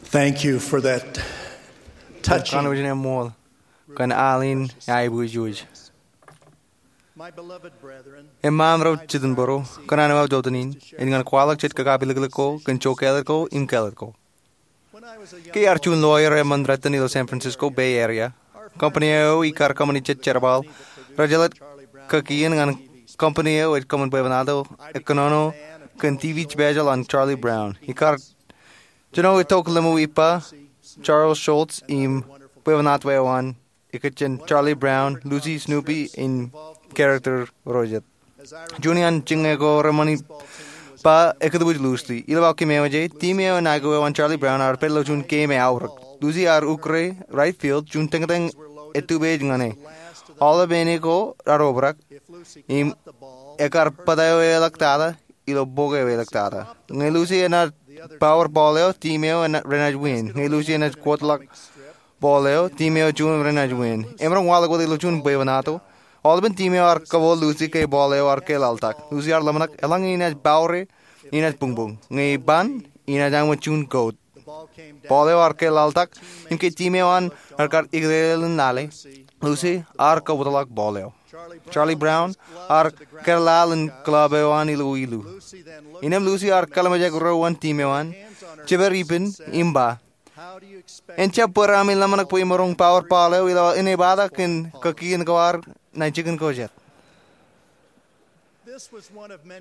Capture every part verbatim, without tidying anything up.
Thank you for that touching. Kōn kanooj in eṃṃool kōn al in aiboojoj. My beloved brethren, eṃṃaan ro jitōnbōro, kōṇaan eo aō jota in, ej ñan kwaḷọk jet kakapilōklōk ko kōn jokāālōt ko im kāālōt ko. Ke iar juon lawyer eṃṃan rot in ilo San Francisco Bay Area, company eo ikar kōṃṃani jet jerbal rej jelōt kakien ñan company eo ej kōṃṃan bwebwenato ekkōnono kōn TV special on Charlie Brown. Ikar jino itok lemñoul ippa, Charles Schulz im bwebwenato eo an ikijjien Charlie Brown, Lucy, Snoopy im character ro jet. Juon iaan jiññe ko reṃṃan ippa ekūtbwij loosely. Ilo aō kememej, team eo ṇae ko eo an Charlie Brown ear pād ilo juon game eaorōk. Lucy ear ukōre right field, juon tōñtōñ etupej ñan e. Aolep āne ko ear obrak im ekar bōtōeḷọk tata ilo bok eo eḷọk tata. Ñe Lucy enaaj power ball eo, team eo renaaj win. Ñe Lucy enaaj kōtḷọk ball eo, team eo juon renaaj win. Emaroñ waḷọk wōt ilo juon bwebwenato. Aolepen team eo ear kōbooḷ Lucy ke ball eo ear kōḷaḷtak. Lucy ear ḷōmṇak eḷaññe inaaj power e, inaaj buñbuñ. Ñe iban, inaaj aṃ juon goat. Ball eo ear kōḷaḷtak, im ke team eo an ear kar ikōtḷọk in lale, Lucy ear kōbōtḷọk ball eo. Charlie Brown ear kōḷaḷ in club eo an ilo ilu. Innām Lucy ear kōḷmānjeḷ ro an team eo an, jepād ippān im ba, "En jab bōd ami ḷōmṇak bwe imaroñ power ball eo ilo enaaj bōktok kōn kakien ko ad ṇa jikin ko jet."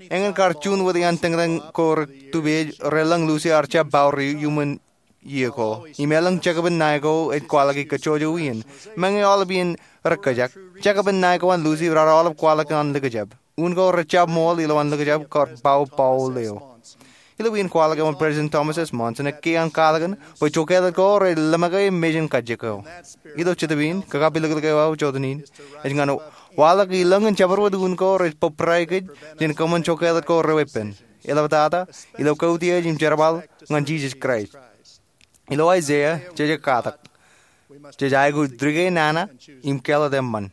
Eñin kar juon wōt iaan tōñtōñ ko rej tupej relōñ Lucy ear jab power e iuṃwin iiō ko. Im elōñ jekōbin ṇae ko ej kwaḷọk kajjojo iien. Meñe aolep iien rekajak, jekōbin ṇae ko an Lucy raar aolep kwaḷọk an likjab. Un ko rej jab ṃool ilowaan likjab kar power ball eo. Ilo iien kwaḷọk eo an President Thomas S. Monson, ekkā an katakin bwe jokāālōt ko rej ḷōmṇak e mejān kajjik ko. Ilo jetōb in, kakapilōklōk eo aō jota in ej ñan waḷọk ilōñ in jabdewōt un ko rej bōbrae kōj jān kōṃṃan jokāālōt ko reweeppān. Eḷaptata ilo kautiej im jerbal ñan Jisōs Kraist. Ilo Aiseia, jej katak, jej aikuj dike nana im kāālōt eṃṃan.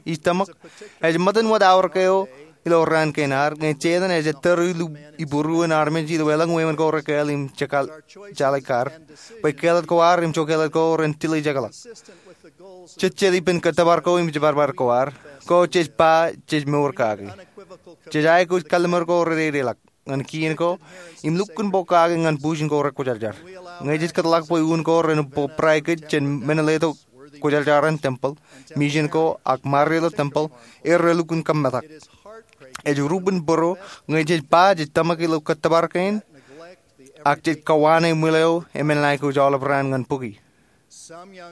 Ij tōmak ej ṃōttan wōt aorōk eo ilo raan kein ad, ñe Setan ej ettōr ilo ibūruon armej ilo elōñ wāween ko rekāāl im jekajjitōk kar, bwe kāālōt ko ad im jokāālōt ko ren tiljekḷọk. Jejjet ippān kōttōpar ko im jibadbad ko ad, ko jej ba jej mour kaki. Jej aikuj kalliṃur ko rededeḷọk ñan kien ko im lukkuun bōk kake ñan bujen ko rekwōjarjar. Ñe jej kōtḷọk bwe un ko ren bōbrae kōj jān men letok kwōjarjar in tempel, mission ko ak marre ilo tempel, erro lukkuun kōmmetak. Ej rupen būruo ñe jej ba jej tōmak ilo kōttōpar kein ak jej kowaan ṃwilaḷ eo eṃṃan ṇae ko aolep raan ñan bukwi.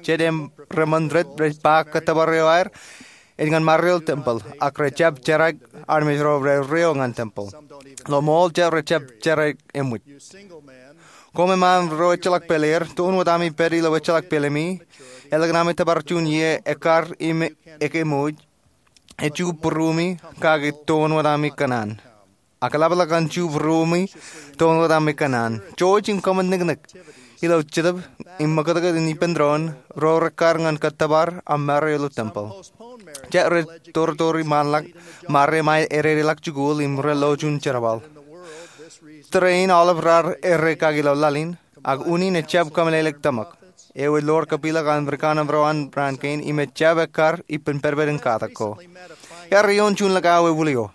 Jet im reṃṃan rej ba kōttōpar eo aer ej ñan marre ilo tempel, ak rej jab jeraik armej ro rej reo ñan tempel. Ilo ṃool jet rej jab jeraik eṃōj. Koṃ eṃṃaan ro ejjeḷọk pāleer, toon wōt ami pād ilo ejjeḷọk pāleemi. Ālikin ami tōpar juon iiō ekkar im ekeṃōj, ej ju būruemi kake toon wōt ami kōṇaan. Ak eḷapḷọk an ju būruemi toon wōt ami kōṇaan. Jouj im kōṃṃan niknik ilo jetōb im ṃōkōtkōt in ippān doon ro rekkar ñan kōttōpar aṃ marre ilo tempel. Jet rej tortori ṃaanḷọk, marre ṃae ededeḷọk jikuuḷ im rej lo juon jerbal. Tōre in aolep raar errā kaki ilo laḷ in, ak unin ejjab kōmeḷeḷeik tōmak. Eo ej lor kapilōk an ri kanōm ro an raan kein im ejjab ekkar ippān pedped in katak ko. Iar eoon juon likao ewūlio.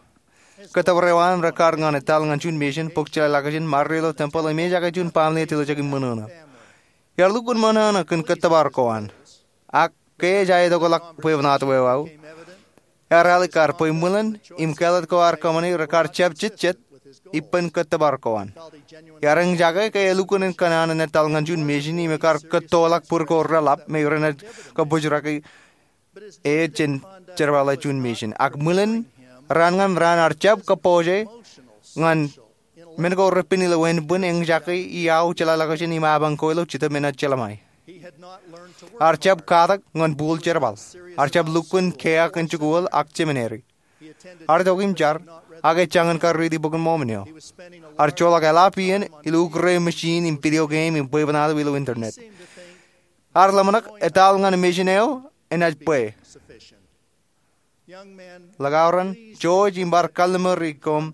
Kōttōpar eo an rekar ñan etal ñan juon mission bōk jeḷā ḷọkjeṇ marre ilo tempel im ejake juon baaṃle ej tiljek im ṃōṇōṇō. Iar lukkuun ṃōṇōṇō kōn kōttōpar ko an. Ak ke ej aetokḷọk bwebwenato eo aō, ear alikkar bwe ṃwilen im kāālōt ko ear kōṃṃane rekar jab jejjet ippān kōttōpar ko an. Iar eñjake ke elukkuun kōṇaan in etal ñan juon mission im ekar kōttoḷọk bōd ko reḷap me renaaj kabōjraki e jān jerbale juon mission. Ak ṃwilen raan ñan raan ear jab kōpooje ñan men ko repen ilo ānbwin eñjake iaḷ jeḷā ḷọkjeṇ im apañ ko ilo jetōb enaaj jeḷā ṃae. Ear jab katak ñan bōl jerbal. Ear jab lukkuun keak in jikuuḷ ak seminary. Ear itok im jar, ak ejjañin kar riiti Bok in Mormon eo. Ear joḷọk eḷap iien ilo ukōre machine im video game im bwebwenato ilo internet. Ear ḷōmṇak etal ñan mission eo enaaj bwe. Likao ren, jouj im bar kalliṃur koṃ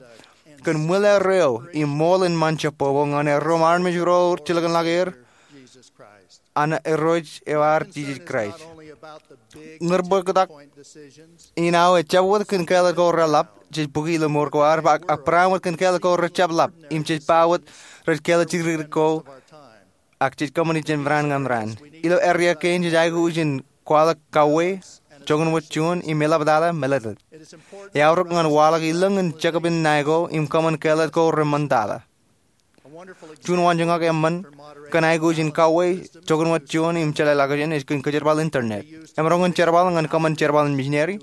kōn ṃwilaer eo im ṃool in ṃaan jebbobo ñan erro im armej ro jilkinḷọk er an Irooj eo ad Jisōs Kraist. Ñūr bōktok in aō ejjab wōt kōn kāālōt ko reḷap jej bōki ilo mour ko ad, ak barāinwōt kōn kāālōt ko rejjab ḷap im jej ba wōt rej kāālōt jidikdik ko ak jej kōṃṃani jān raan ñan raan. Ilo area kein jej aikuj in kwaḷọk kauwe, joñan wōt juon im eḷaptata mālōtlōt. Eaorōk ñan waḷọk ilōñ in jekpān ṇae ko im kōṃṃan kāālōt ko reṃṃantata. Juon waanjoñak eṃṃan kōn aikuj in kauwe, joñan wōt juon im jeḷāḷọkjeṇ ej kōn kōjerbal internet. Emaroñ in jerbal ñan kōṃṃan jerbal in misineri,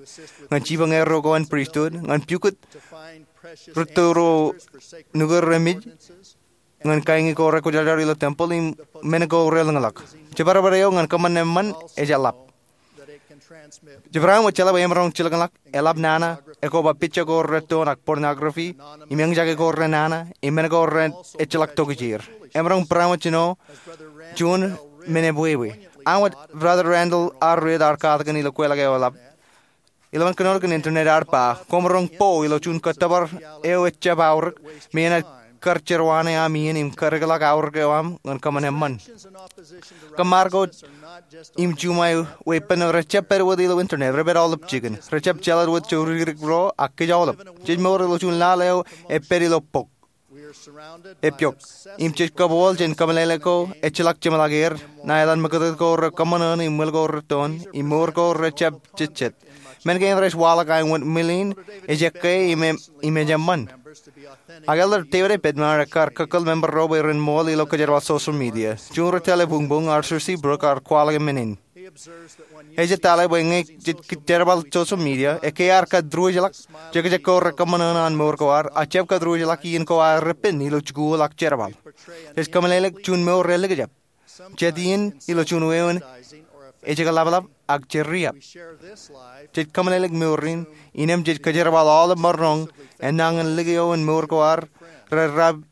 ñan jipañ erro ko an pristut, ñan pukot rūtto ro nukūr remej, ñan kaiñi ko rekwōjarjar ilo tempeḷ im men ko relōñḷọk. Jibadbad eo ñan kōṃṃan eṃṃan ej eḷap. Jibadbad eo ej eḷap, emaroñ jilkinḷọk eḷap nana, ekwe ba picture ko rettoon ak pornography, im eñjake ko renana, im men ko rej ejjeḷọk tokjāer. Emaroñ barāinwōt jino juon men ebwebwe. Āinwōt Brother Randall R. Ridd ear katakin ilo kweilọk eo eḷap, ilowaan kōnono kōn internet ear ba, koṃ roñ bo ilo juon kōttōpar eo ejjab aorōk, me enaaj kar jerwānē aṃ iien im kar ikḷọk aorōk eo aṃ ñan kōṃṃan eṃṃan. Kōṃṃan ko im juṃae weeppān rejjab pād wōt ilo internet, rej pād aolep jikin. Rejjab jeḷā wōt jodikdik ro ak kōj aolep. Jej mour ilo juon laḷ eo epād ilo bok epok. Im jej kōbooḷ jān kōmeḷeḷe ko ejjeḷọk jeṃḷọk er, ṇa etan ṃōkōtōt ko rekōṃṃan eṇ im ṃwil ko rettoon, im mour ko rejjab jejjet. Men kein rej waḷọk āinwōt ṃwilain, ej ekkā im, im ej eṃṃan. Ak Elder David A. Bednar ekar kōkkōl member ro bwe ren ṃool ilo kōjerbal social media. Juon ri tōl eo buñbuñ, Arthur C. Brooks, ear kwaḷọk men in. Ej ej tōl bwe ñe jej jerbal social media, ekkā ear kōtruwōjḷọk jekjek ko rekōṃṃan eṇ an mour ko ad, ak jab kōtruwōjḷọk iien ko aer pen ilo jikuuḷ ak jerbal. Jej kōmeḷeḷe juon mour elikjab. Jet iien ilo juon wāween ejjeḷọk ḷapḷap ak jeriab. Jej kōmeḷeḷe mour in, innām jej kōjerbal aolep maroñ enañin likio in mour ko ad, rej riab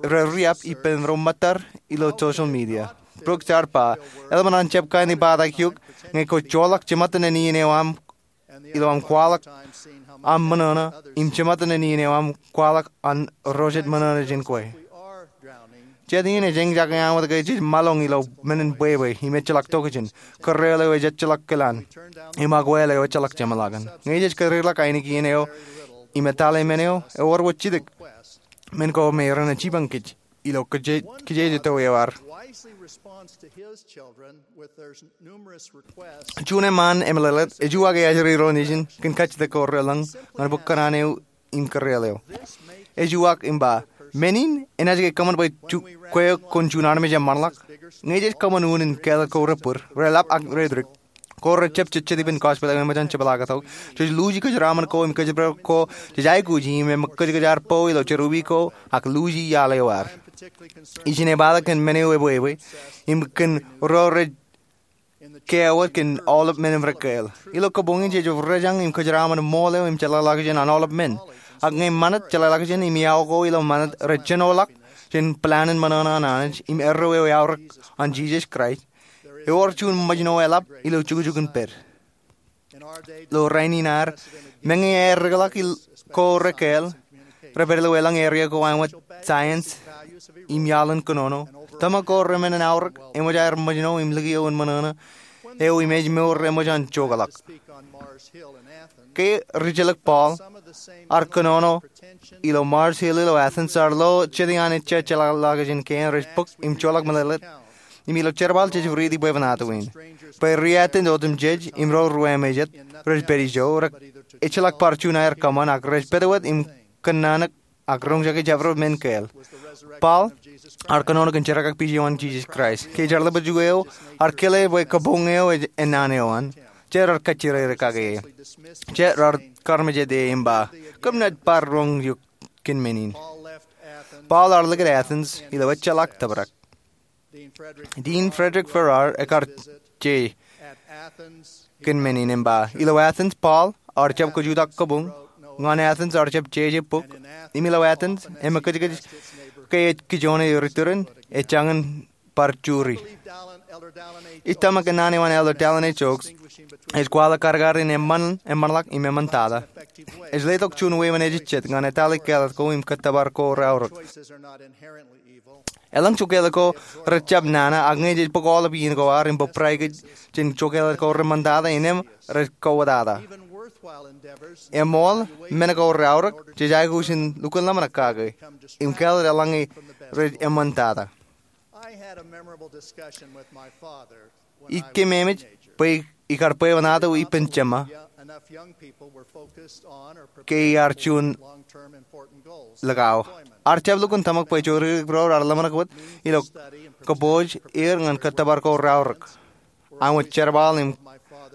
rej riab ippān ro ṃōttad ilo social media. Brooks ear ba, eḷap an jab kain ibatak eok ñe kwōj joḷọk jeṃatten iien eo aṃ ilo aṃ kwaḷọk aṃ ṃōṇōṇō im jeṃatten iien eo aṃ kwaḷọk an ro jet ṃōṇōṇō jān kwe. Jet iien ej eñjake āinwōt ke jej maroñ ilo men in bwebwe im ejjeḷọk tokjān, kōrreoḷ eo ejjeḷọk kilaan, im akwāāl eo ejjeḷọk jeṃḷọkin. Ñe jej kōdikdik ainikien eo im etale men eo, ewōr wōt jidik men ko me renaaj jipañ kōj ilo kijeje, kijeje tō eo ad. Juon eṃṃaan emeḷeḷe ej uwaak ke ajri ro nejin kōn kajjitōk ko relōñ ñan bōk kōṇaan eo im kōrreoḷ eo. Ej uwaak im ba, men in enaaj ke kōṃṃan bwe kwe kwōn juon armej eṃṃanḷọk? Ñe jej kōṃṃan unin kāālōt ko rej bōd, reḷap ak redikdik, ko rejjab jejjet ippān gospel eo eṃōj an jepḷaaktok, jej luuji kōjeraaṃṃan ko im kōjparok ko jej aikuji im eṃōj kōjkōj ad bo ilo jerọwiwi ko ak luuji iaḷ eo ad. Ij ineepaake kōn men eo ebwebwe im kōn ro rej kiiō wōt kōn aolep men im rej kāāl. Ilo kabuñ in jej rejañ im kōjeraaṃṃan ṃool eo im jeḷāḷọkjeṇ an aolep men. Ak ñe ṃanit, jeḷāḷọkjeṇ im iọkwe ilo ṃanit rej jenoḷọk jān plan in ṃōṇōṇō an Anij im erreo eo eaorōk an Jisōs Kraist, ewōr juon ṃōjṇọ eḷap ilo jukjuk in pād. Ilo rainin ad, meñe aer dikḷọk ko rej kāāl, rej pād ilo elōñ area ko āinwōt science im iaḷ in kōnono, tōmak ko remenmen aorōk eṃōj aer ṃōjṇọ im likio in ṃōṇōṇō eo im ej mour eṃōj an jokḷọk. Ke rijjelōk Paul ear kōnono ilo Mars Hill ilo Athens, ear lo jet iaan ejja jeḷāḷọkjeṇ kein rej bōk im joḷọk meḷeḷe. Im ilo jerbal jej riiti bwebwenato in bwe ri-attend otemjej im ro ruwamāejet rej pād ijo, rej ejjeḷọk bar juon aer kōṃṃan ak rej pād wōt im kōnnaan ak roñjake jabdewōt men kāāl. Paul ear kōnono kōn jerkakpeje eo an Jisōs Kraist. Ke jerbal eo ear kile bwe kabuñ eo ej ennaan eo an, jet ear kajjirere kake e. Jet ear karmejede im ba, kōm naaj bar roñ eok kōn men in. Paul ear likūt Athens ilo ejjeḷọk tōprak. Dean Frederick Farrar ekar je kōn men in im ba, ilo Athens Paul ear jab kajutak kabuñ, ñan Athens ear jab jeje bok, im ilo Athens eṃōj kōjkōj ke ej kijoone ri turin, ej jañin bar juri. Ij tōmak ke naan eo an Elder Dallin H. Oaks ej kwaḷọk kadkadin eṃṃan, eṃṃanḷọk im eṃṃantata. Ej letok juon wāween ejejjet ñan etale kāālōt ko im kōttōpar ko reaorōk. Eḷaññe jokāālōt ko rejjab nana, ak ñe jej bōk aolep iien ko ad im bōbrae kōj jān jokāālōt ko reṃṃantata, innām rej kowōtata. Eṃool men ko reaorōk, jej aikuj in lukkuun ḷōmṇak kake im kāālōt eḷaññe rej eṃṃantata. Ij kememej bwe ikar bwebwenato ippān jema ke iar juon likao. Ar jab lukkuun tōmak bwe joridik ro raar ḷōmṇak wōt ilo kōpooj er ñan kōttōpar ko reaorōk, aṃ wōt jerbal im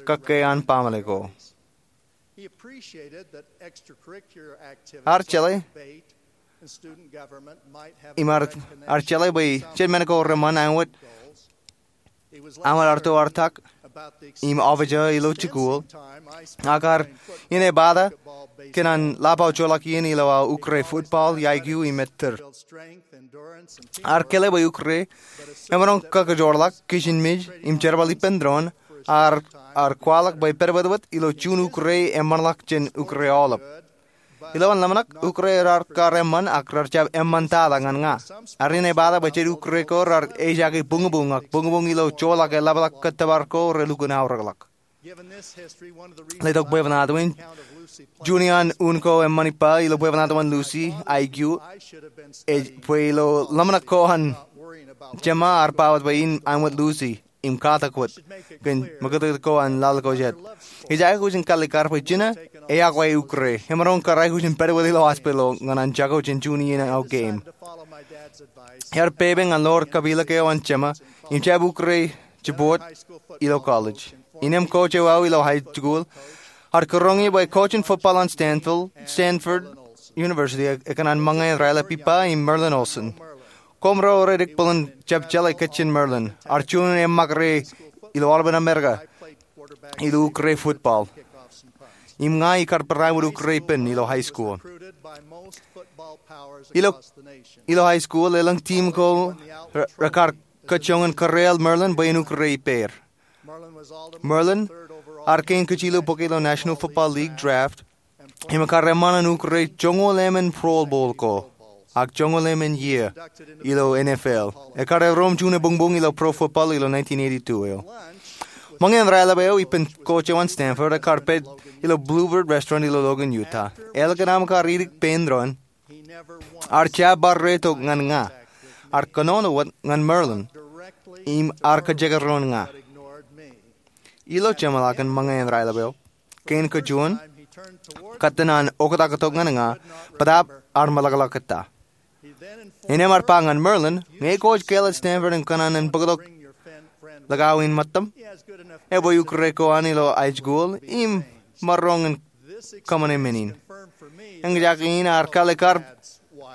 kōkkeaan baaṃle ko. Ar jeḷā im ar, ar jeḷā bwe jet men ko reṃṃan aṃ wōt, aṃ wōt artoartak im office eo ilo jikuuḷ. Ak ar inepata kōn an ḷap aō joḷọk iien ilo aō ukre football, yākiu im ettōr. Ar kile bwe ukre emaroñ kōkōjoorḷọk, kijenmej im jerbal ippān doon. Ar, ar kwaḷọk bwe pedped wōt ilo juon ukre eṃṃanḷọk jān ukre aolep. Ilowaan ḷōmṇak, ukre raar kar eṃṃan ak raar jab eṃṃantata ñan ña. Ar inepata bwe jet ukre ko raar ejaake buñbuñ ak buñbuñ ilo joḷọk eḷapḷọk kōttōpar ko relukkuun aorōkḷọk. Letok bwebwenato in, juon iaan un ko eṃṃan ippa ilo bwebwenato an Lucy, aikiu, ej bwe ilo ḷōmṇak ko an jema ar ba wōt bwe in aṃ wōt Lucy im katak wōt kōn mōkōtkōt ko an laḷ ko jet. Ij aikuj in kalikkar bwe jino eyakwe ukre. Emaroñ kar aikuj in pād wōt ilo hospital ñan an jako jān juon iien aō game. Ear pepe ñan ḷoor kapilōk eo an jema im jab ukre jibboot ilo college. Innām coach eo aō ilo high school ear kūroñ ie bwe coach in football an Stanford, Stanford University, ekōṇaan ṃōñā in raelep ippa im Merlin Olsen. Koṃro rej dik bōlen jab jeḷā kōj jān Merlin. Ear juon eṃṃakre ilo aolepān Amerika ilo ukre football. Im ña ikar barāinwōt ukre ippān ilo high school. Ilo, ilo high school, elōñ team ko re, rekar kōjjoñan kōreel Merlin bwe en ukre ippāer. Merlin ear kein kōjilo bōke ilo National Football League draft im ekar eṃṃan an ukre joñoul emān Pro Bowl ko ak joñoul emān iiō ilo N F L. Ekar erom juon ebuñbuñ ilo pro football ilo nineteen eighty-two eo. Ṃōñā in raelep eo ippān coach eo an Stanford ekar pād ilo Bluebird Restaurant ilo Logan, Utah. Ālikin aṃ kar idik pein doon, ear jab bar reito ñan ña. Ear kōnono wōt ñan Merlin im ear kajekdọọn ña. Ilo jeṃḷọkin ṃōñā in raelep eo, kein kajuon, kōttan an oktak tok ñan ña, bōtaab ear meḷọkḷọk ettā. Innām ear ba ñan Merlin, ñe kwōj kāālōt Stanford im kōṇaan bōktok likao in ṃōttaṃ, ebwe ukre ko an ilo high school im maroñ in kōṃṃane men in. Eñjake in ear kalikkar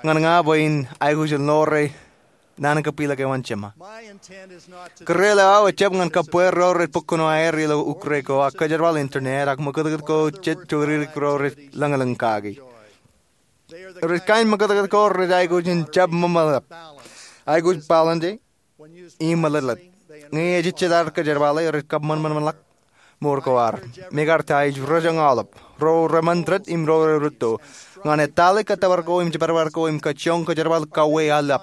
ñan ña bwe in aikuj in ḷoor naan in kapilōk eo an jema. Kōreel eo aō ejjab ñan kōbbeer ro rej bōk kuṇaer ilo ukre ko ak kōjerbal internet ak ṃōkōtōkōt ko jet joridik ro rej lōñlōñ kaki. Rej kain ṃōkōtōkōt ko rej aikuj in jab ṃōṃōḷap, aikuj balance im ṃōḷōtlōt. Ñe ejejjet ad kōjerbale, rej kab ṃōṇōṇōḷọk mour ko ad. Im ekar ta ij roñjake aolep, ro reṃṃan ded im ro rerūtto, ñan etale kōttōpar ko im jepārpār ko im kajjioñ kōjerbal kauwe aolep.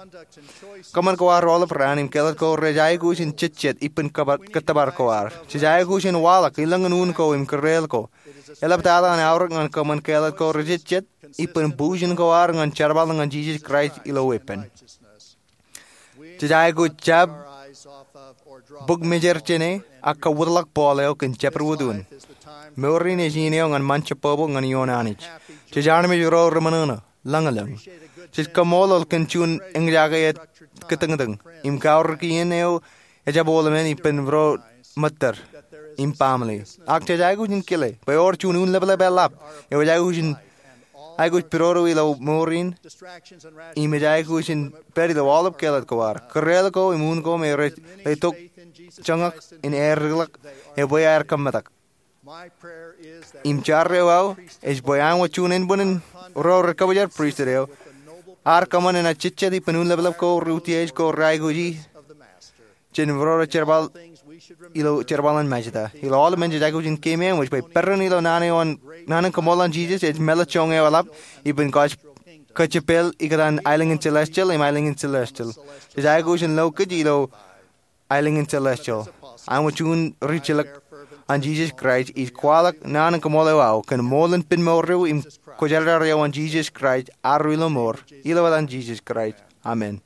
Kōṃṃan ko ad aolep raan im kāālōt ko rej aikuj in jejjet ippān kōttōpar ko ad. Jej aikuj in waḷọk ilōñin un ko im kōreel ko. Eḷaptata an aorōk ñan kōṃṃan kāālōt ko rejejjet ippān bujen ko ad ñan jerbal ñan Jisōs Kraist ilo weeppān. Jej aikuj jab bōk mejād jāne ak kawōtḷọk ball eo kōn jabdewōt un. Mour in ej iien eo ñan ṃan jebbobo ñan ioon Anij. Jej armej ro reṃōṇōṇō, lōñlōñ. Jej kaṃṃoolol kōn juon eñjake ettōñtōñ im kaorōk iien eo ejjab olemān ippān ro ṃōttad im baaṃle. Ak jej aikuj in kile bwe ewōr juon unleplep eḷap eo ej aikuj in, aikuj pidodo ilo mour in im ej aikuj in pād ilo aolep kāālōt ko ad. Kōreel ko im un ko me rej letok joñak in aedikḷọk ebwe aer kōmetak. Im jar eo aō ej bwe aṃ wōt juon ānbwinnin ro rej kabujar pristut eo, ar kōṃṃan enaaj jejjet ippān unleplep ko reutiej ko reaikuji jān ro rej jerbal ilo jerbal in Majda. Ilo aolepān jej aikuj in keememej bwe peran ilo naan in kaṃool an Jisōs ej mālōtlōt joñan eḷap, ippān kōj kōjepel ikōtaan aelōñ in celestial im aelōñ in celestial. Jej aikuj in lo kōj ilo aelōñ in celestial. Aṃ juon ri-jilōk an Jisōs Kraist ij kwaḷọk naan in kaṃool eo aō kōn ṃool in pen mour eo im kwōjarjar eo an Jisōs Kraist, arro ilo mour, ilo etan Jisōs Kraist, amen.